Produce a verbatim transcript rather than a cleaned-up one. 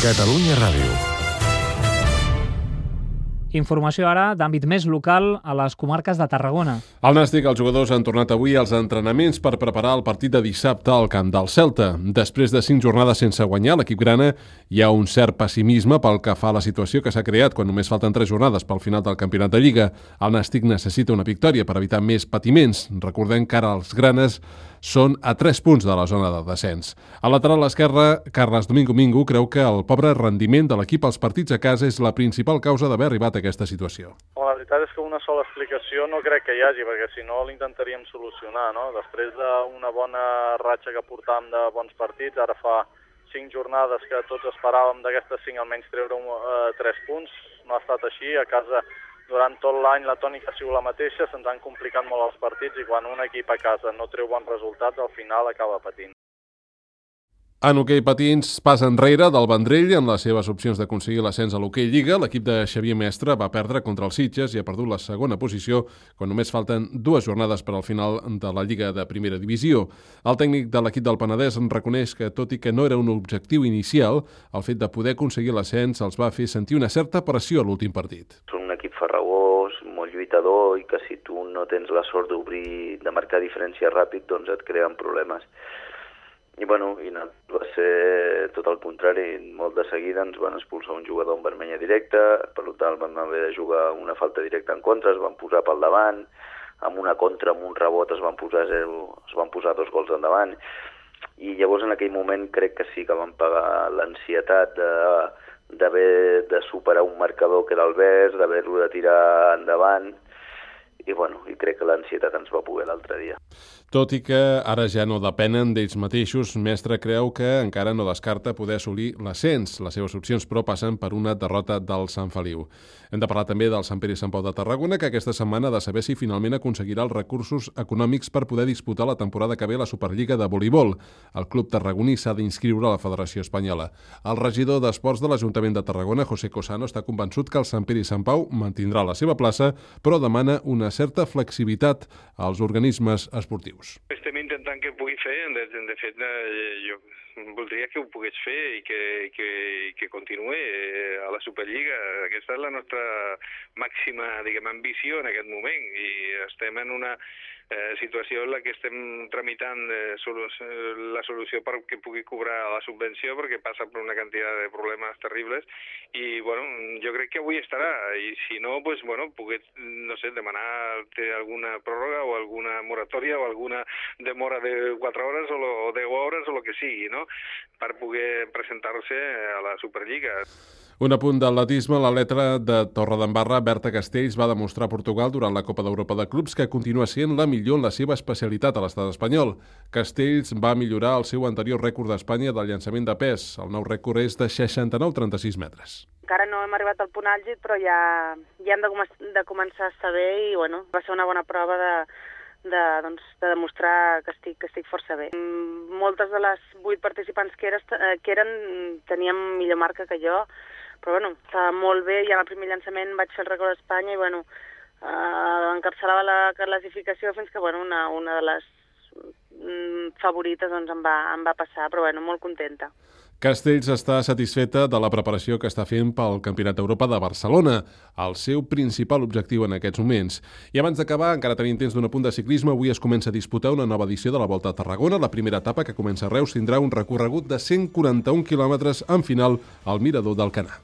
Catalunya Ràdio. Informació ara d'àmbit més local a les comarques de Tarragona. Al Nàstic, els jugadors han tornat avui als entrenaments per preparar el partit de dissabte al camp del Celta. Després de cinc jornades sense guanyar, l'equip grana hi ha un cert pessimisme pel que fa a la situació que s'ha creat quan només falten tres jornades pel final del campionat de Lliga. El Nàstic necessita una victòria per evitar més patiments. Recordem que ara els granes són a tres punts de la zona de descens. Al lateral esquerre, Carles Domingo Mingo creu que el pobre rendiment de l'equip als partits a casa és la principal causa d'haver arribat a aquesta situació. La veritat és que una sola explicació no crec que hi hagi, perquè si no l'intentaríem solucionar, no? Després d'una bona ratxa que portàvem de bons partits, ara fa cinc jornades que tots esperàvem d'aquestes cinc almenys treure un, uh, tres punts, no ha estat així. A casa durant tot l'any la tònica ha sigut la mateixa, se'ns han complicat molt els partits i quan un equip a casa no treu bons resultats, al final acaba patint. En hoquei patins, pas enrere del Vendrell en les seves opcions d'aconseguir l'ascens a l'hoquei Lliga. L'equip de Xavier Mestre va perdre contra el Sitges i ha perdut la segona posició quan només falten dues jornades per al final de la Lliga de Primera Divisió. El tècnic de l'equip del Penedès reconeix que, tot i que no era un objectiu inicial, el fet de poder aconseguir l'ascens els va fer sentir una certa pressió a l'últim partit. Són un equip farragós, molt lluitador, i que si tu no tens la sort d'obrir, de marcar diferència ràpid, doncs et creen problemes. I bueno, i no, va ser tot el contrari. Molt de seguida ens van expulsar un jugador en vermella directa, per tant vam haver de jugar una falta directa en contra, es van posar pel davant, amb una contra, amb un rebot es van posar zero, es van posar dos gols endavant, i llavors en aquell moment crec que sí que vam pagar l'ansietat de d'haver de superar un marcador que era el vers, d'haver-lo de tirar endavant, i bueno, i crec que l'ansietat ens va poder l'altre dia. Tot i que ara ja no depenen d'ells mateixos, Mestre creu que encara no descarta poder assolir l'ascens. Les seves opcions, però, passen per una derrota del Sant Feliu. Hem de parlar també del Sant Pere i Sant Pau de Tarragona, que aquesta setmana ha de saber si finalment aconseguirà els recursos econòmics per poder disputar la temporada que ve a la Superliga de voleibol. El club tarragoní s'ha d'inscriure a la Federació Espanyola. El regidor d'Esports de l'Ajuntament de Tarragona, José Cosano, està convençut que el Sant Pere i Sant Pau mantindrà la seva plaça, però demana una certa flexibilitat als organismes esportius. Estem intentant que ho pugui fer, de, de fet jo voldria que ho pogués fer i que, que, que continuï a la Superliga. Aquesta és la nostra màxima, diguem, ambició en aquest moment, i estem en una eh, situació en la que estem tramitant eh, solu la solució perquè pugui cobrar la subvenció, perquè passa per una quantitat de problemes terribles, i bueno, jo crec que avui estarà, i si no, pues, bueno, poder, no sé, demanar alguna pròrroga o alguna moratòria o alguna demora de quatre hores o, lo, o deu hores o el que sigui, no?, per poder presentar-se a la Superliga. Un apunt d'atletisme, l'atleta de Torredembarra, Berta Castells, va demostrar a Portugal durant la Copa d'Europa de Clubs que continua sent la millor en la seva especialitat a l'estat espanyol. Castells va millorar el seu anterior rècord d'Espanya del llançament de pes. El nou rècord és de seixanta-nou coma trenta-sis metres. Encara no hem arribat al punt àlgid, però ja, ja hem de, com de començar a estar bé, i bueno, va ser una bona prova de, de, doncs, de demostrar que estic, que estic força bé. Moltes de les vuit participants que, eres, que eren tenien millor marca que jo, però bueno, estava molt bé. Ja en el primer llançament vaig fer el rècord d'Espanya i bueno, eh, encapçalava la classificació fins que bueno, una, una de les mm, favorites doncs, em, va, em va passar, però bueno, molt contenta. Castells està satisfeta de la preparació que està fent pel Campionat d'Europa de Barcelona, el seu principal objectiu en aquests moments. I abans d'acabar, encara tenim temps d'un apunt de ciclisme, avui es comença a disputar una nova edició de la Volta a Tarragona. La primera etapa, que comença a Reus, tindrà un recorregut de cent quaranta-un quilòmetres amb final al Mirador d'Alcanar.